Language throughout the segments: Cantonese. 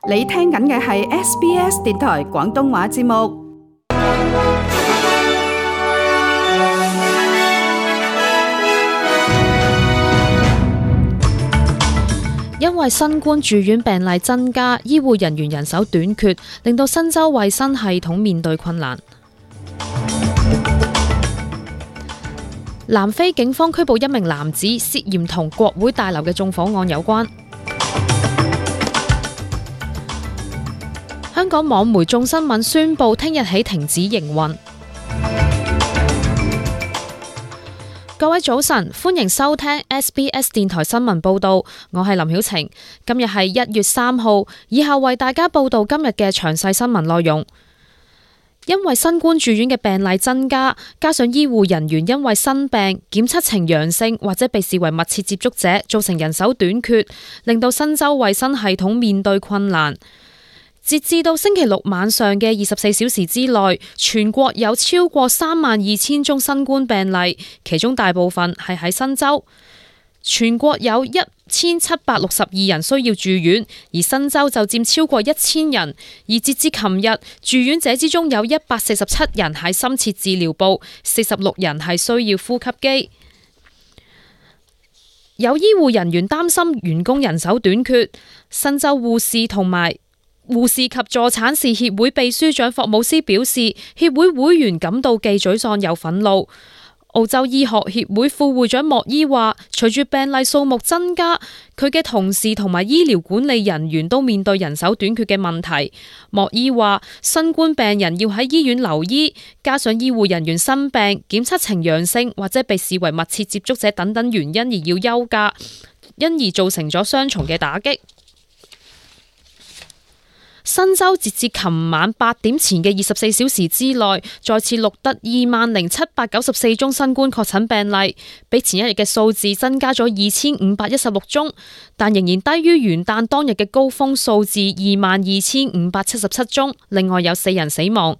你聽緊嘅係 SBS 電台廣東話節目。因為新冠住院病例增加，醫護人員人手短缺，令到新州衛生系統面對困難。南非警方拘捕一名男子，涉嫌同國會大樓嘅縱火案有關。香港網媒眾新聞宣布，聽日起停止營運。各位早晨，歡迎收聽 SBS 電台新聞報道，我係林曉晴。今日係1月3號，以下為大家報道今日嘅詳細新聞內容。因為新冠住院嘅病例增加，加上醫護人員因為生病檢測呈陽性或者被視為密切接觸者，造成人手短缺，令到新州衛生系統面對困難。截至到星期六晚上嘅24小時之內，全國有超過32,000宗新冠病例，其中大部分係喺新州。全國有1,762人需要住院，而新州就佔超過1,000人。而截至琴日，住院者之中有147人喺深切治療部，46人係需要呼吸機。有醫護人員擔心員工人手短缺，新州護士及助產士協會秘書長霍姆斯表示，協會會員感到既沮喪又憤怒。澳洲醫學協會副會長莫伊話，隨住病例數目增加，佢嘅同事同埋醫療管理人員都面對人手短缺嘅問題。莫伊話，新冠病人要喺醫院留醫，加上醫護人員生病、檢測呈陽性或者被視為密切接觸者等等原因而要休假，因而造成咗雙重嘅打擊。新州截至琴晚8點前嘅24小時之內，再次錄得20,794宗新冠確診病例，比前一日嘅數字增加咗2,516宗，但仍然低於元旦當日嘅高峰數字22,577宗。另外有4人死亡。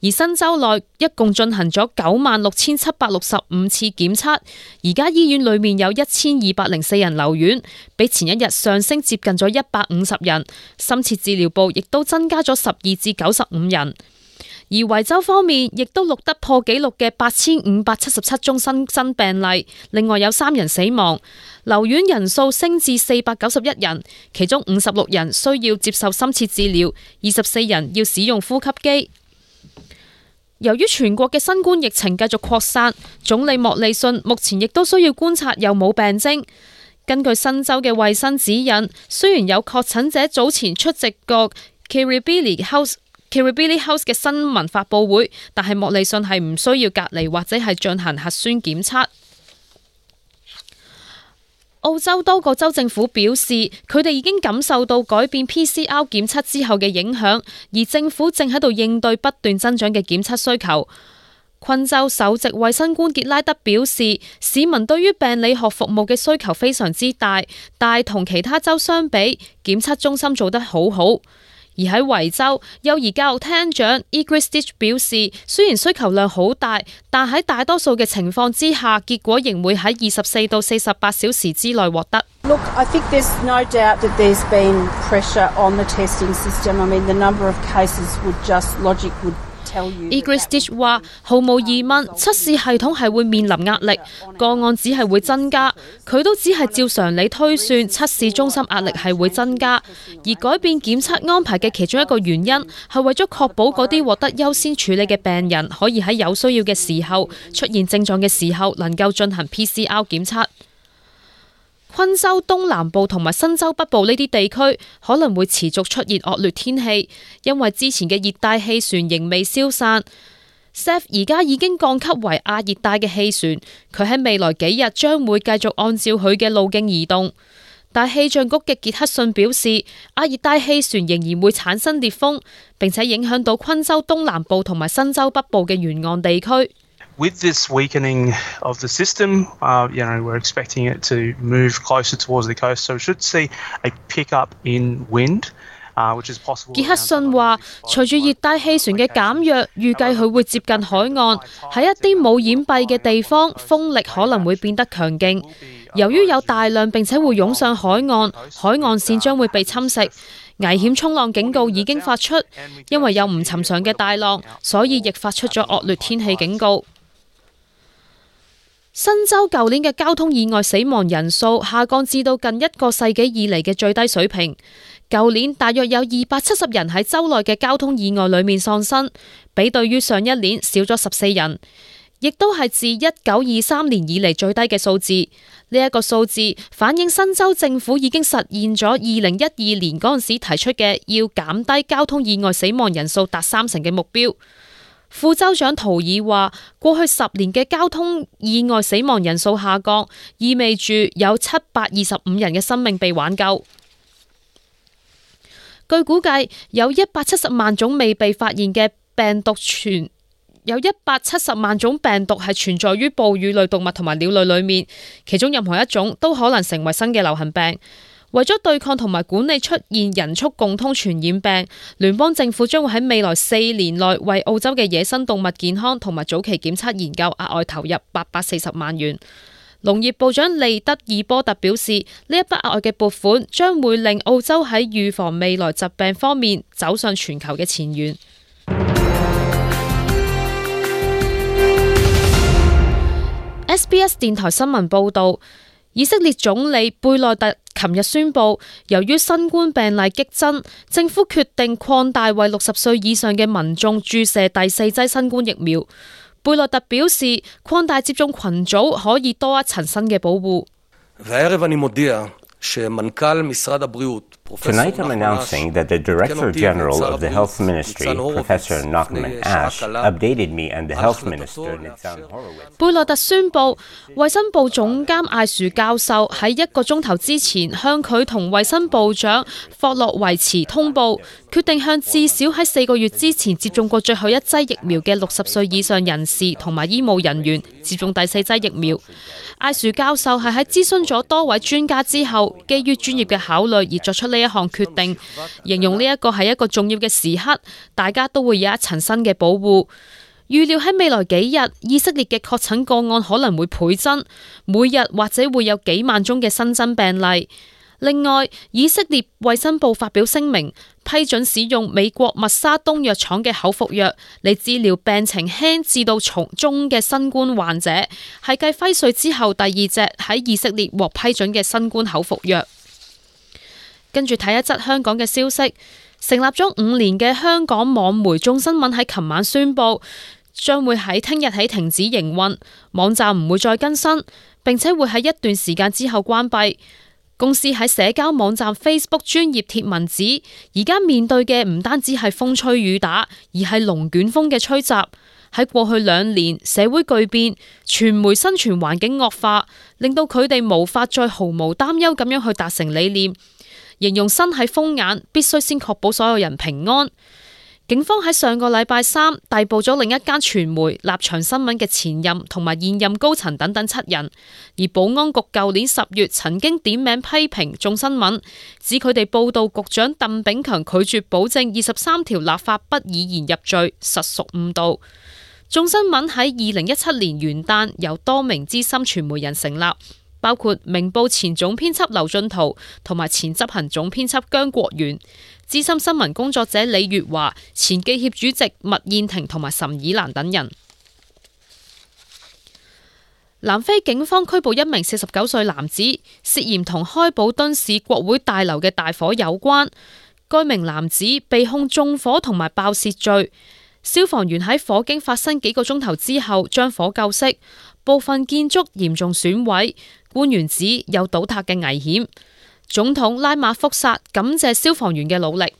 而新州內一共進行咗96,765次檢測，而家醫院裏面有1,204人留院，比前一日上升接近咗150人。深切治療部亦都增加咗12至95人。而維州方面亦都錄得破紀錄嘅8,577宗新病例，另外有3人死亡，留院人數升至491人，其中56人需要接受深切治療，24人要使用呼吸機。由於全國嘅新冠疫情繼續擴散，總理莫利遜目前亦都需要觀察有冇病徵。根據新州嘅衛生指引，雖然有確診者早前出席過 Kirribilli House 嘅新聞發佈會，但係莫利遜係唔需要隔離或者係進行核酸檢測。澳洲多個州政府表示，佢哋已經感受到改變 PCR 檢測之後嘅影響，而政府正喺度應對不斷增長嘅檢測需求。昆州首席衛生官傑拉德表示，市民對於病理學服務嘅需求非常之大，但同其他州相比，檢測中心做得好好。而喺維州，幼兒教育廳長 Igris Stitch 表示，雖然需求量好大，但喺大多數嘅情況之下，結果仍會喺24到48小時之內獲得。Look, I think there's no doubt that there's been pressure on the testing system. I mean, the number of cases would just logic would Igris Stitch 話：毫無疑問，測試系統係會面臨壓力，個案只係會增加。佢都只係照常理推算，測試中心壓力係會增加。而改變檢測安排嘅其中一個原因係為咗確保嗰啲獲得優先處理嘅病人可以喺有需要嘅時候、出現症狀嘅時候能夠進行 PCR 檢測。昆州東南部同埋新州北部呢啲地區可能會持續出現惡劣天氣，因為之前嘅熱帶氣旋仍未消散。Seth 而家已經降級為亞熱帶嘅氣旋，佢喺未來幾日將會繼續按照佢嘅路徑移動。但氣象局嘅傑克遜表示，亞熱帶氣旋仍然會產生烈風，並且影響到昆州東南部同埋新州北部嘅沿岸地區。With this weakening of the system, we're expecting it to move closer towards the coast, so we should see a pickup in wind, which is possible. 傑克遜話，隨住熱帶氣旋嘅減弱，預計佢會接近海岸，喺一啲冇掩蔽嘅地方，風力可能會變得強勁。由於有大量並且會湧上海岸，海岸線將會被侵蝕。危險衝浪警告已經發出，因為有唔尋常嘅大浪，所以亦發出咗惡劣天氣警告。新州舊年嘅交通意外死亡人數下降至到近一個世紀以嚟嘅最低水平。舊年大約有270人喺州內嘅交通意外裏面喪生，比對於上一年少咗14人，亦都係自1923年以嚟最低嘅數字。呢一個數字反映新州政府已經實現咗2012年嗰陣時提出嘅要減低交通意外死亡人數達30%嘅目標。副州長圖爾話，過去10年嘅交通意外死亡人數下降，意味住有725人嘅生命被挽救。據估計，有170萬種未被發現嘅病毒有170萬種病毒係存在於哺乳類動物同埋鳥類裏面，其中任何一種都可能成為新嘅流行病。為咗對抗同埋管理出現人畜共通傳染病，聯邦政府將會喺未來4年內為澳洲嘅野生動物健康同埋早期檢測研究額外投入840萬元。農業部長利德爾波特表示，呢一筆額外嘅撥款將會令澳洲喺預防未來疾病方面走上全球嘅前沿。SBS 電台新聞報道，以色列總理貝內特琴日宣布，由於新冠病例激增，政府決定擴大為60歲以上嘅民眾注射第4劑新冠疫苗。貝內特表示，擴大接種群組可以多一層新嘅保護。Tonight I'm announcing that the Director General of the Health Ministry, Professor Nachman Ash, updated me and the Health Minister, Nitzan Horowitz. 貝內特宣布，衛生部總監艾殊教授喺1個鐘頭之前向佢同衛生部長霍洛維茨通報，決定向至少喺4個月之前接種過最後一劑疫苗嘅60歲以上人士同埋醫務人員接種第4劑疫苗。艾殊教授係喺諮詢咗多位專家之後，基於專業嘅考慮而作出呢一項決定，形容呢一個係一個重要嘅時刻，大家都會有一層新嘅保護。預料喺未來幾日，以色列嘅確診個案可能會倍增，每日或者會有幾萬宗嘅新增病例。另外，以色列衛生部發表聲明，批准使用美國默沙東藥廠嘅口服藥嚟治療病情輕至到中嘅新冠患者，係繼輝瑞之後第2隻喺以色列獲批准嘅新冠口服藥。跟住睇一則香港嘅消息，成立咗5年嘅香港網媒眾新聞喺琴晚宣布，將會喺聽日起停止營運，網站唔會再更新，並且會喺一段時間之後關閉。公司喺社交網站 Facebook 專頁貼文指，而家面對嘅唔單止係風吹雨打，而係龍捲風嘅吹襲。喺過去2年，社會巨變，傳媒生存環境惡化，令到佢哋無法再毫無擔憂咁樣去達成理念。形容身喺風眼，必須先確保所有人平安。警方喺上個禮拜3逮捕咗另一間傳媒立場新聞嘅前任同埋現任高層等等7人，而保安局舊年10月曾經點名批評眾新聞，指佢哋報道局長鄧炳強拒絕保證23條立法不以言入罪，實屬誤導。眾新聞喺2017年元旦由多名資深傳媒人成立，包括明報前總編輯劉進圖同埋前執行總編輯姜國元，資深新聞工作者李月華、前記協主席麥燕婷同埋岑以蘭等人。南非警方拘捕一名49歲男子，涉嫌同開普敦市國會大樓嘅大火有關。該名男子被控縱火同埋爆竊罪。消防員喺火警發生幾個鐘頭之後將火救熄，部分建築嚴重損毀，官員指有倒塌嘅危險。總統拉馬福薩感謝消防員嘅努力。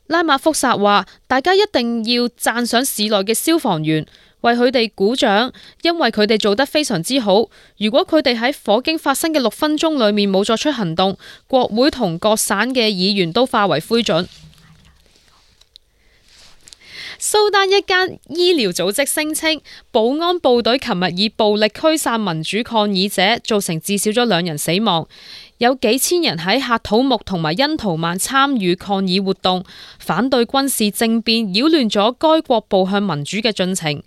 拉馬福薩話：大家一定要讚賞市內嘅消防員，為佢哋鼓掌，因為佢哋做得非常之好。如果佢哋喺火警發生嘅6分鐘裏面冇作出行動，國會同各省嘅議員都化為灰燼。蘇丹一間醫療組織聲稱，保安部隊琴日以暴力驅散民主抗議者，造成至少咗2人死亡。有幾千人喺喀土穆同埋恩圖曼參與抗議活動，反對軍事政變擾亂咗該國步向民主嘅進程。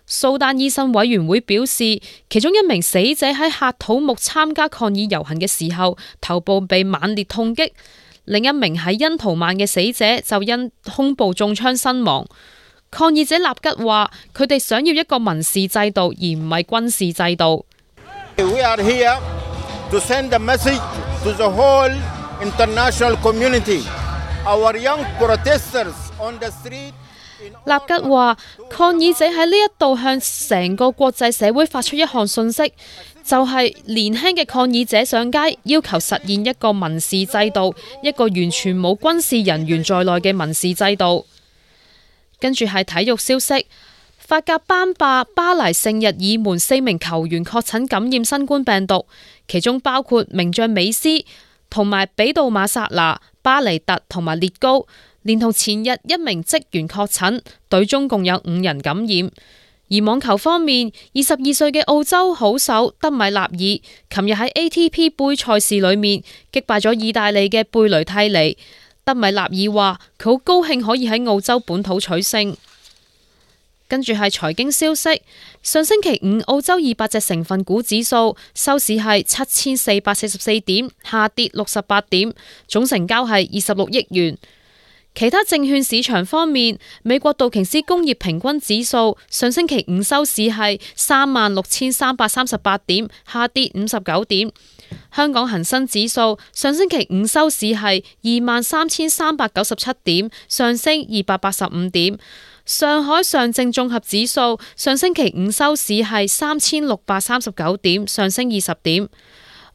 蘇丹醫生委員會表示，其中一名死者喺喀土穆參加抗議遊行嘅時候，頭部被猛烈痛擊；另一名喺恩圖曼嘅死者就因胸部中槍身亡。抗議者納吉話：佢哋想要一個民事制度，而唔係軍事制度。We are here to send a message to the whole international community. Our young protesters on the street. 納吉話：抗議者喺呢一度向成個國際社會發出一項訊息，就係年輕嘅抗議者上街，要求實現一個民事制度，一個完全冇軍事人員在內嘅民事制度。跟住係體育消息，法甲班霸巴黎聖日耳門4名球員確診感染新冠病毒，其中包括名將美斯同埋比杜馬薩拿、巴尼特同埋列高，連同前日一名職員確診，隊中共有5人感染。而網球方面，22歲嘅澳洲好手德米納爾，琴日喺 ATP 杯賽事裏面擊敗咗意大利嘅貝雷蒂尼。德米納爾話：佢好高興可以喺澳洲本土取勝。跟住係財經消息，上星期五澳洲200隻成分股指數收市係7444點，下跌68點，總成交係26億元。其他證券市場方面，美國道瓊斯工業平均指數上星期五收市係36,338點，下跌59點。香港恒生指數上星期五收市係23,397點，上升285點。上海上證綜合指數上星期五收市係3,639點，上升20點。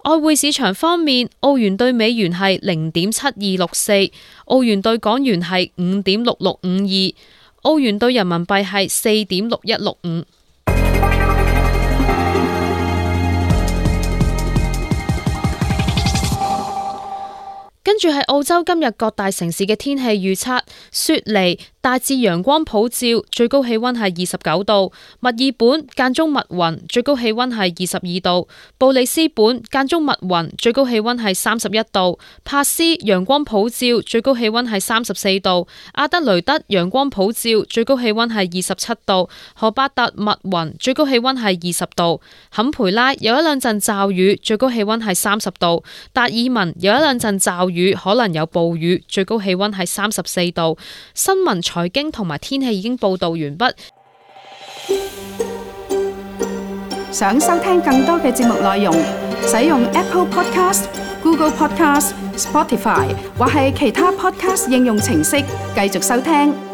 外匯市場方面，澳元對美元係0.7264，澳元對港元係5.6652，澳元對人民幣係4.6165。跟住係澳洲今日各大城市嘅天氣預測：雪梨大致陽光普照，最高氣溫係29度；墨爾本間中密雲，最高氣溫係22度；布里斯本間中密雲，最高氣溫係31度；帕斯陽光普照，最高氣溫係34度；阿德雷德陽光普照，最高氣溫係27度；荷巴特密雲，最高氣溫係20度；坎培拉有一兩陣驟雨，最高氣溫係30度；達爾文有一兩陣驟雨，可能有暴雨，最高氣溫係34度。新聞、財經同埋天氣已經報道完畢。想收聽更多嘅節目內容，使用 Apple Podcast、Google Podcast、Spotify 或係其他 Podcast 應用程式繼續收聽。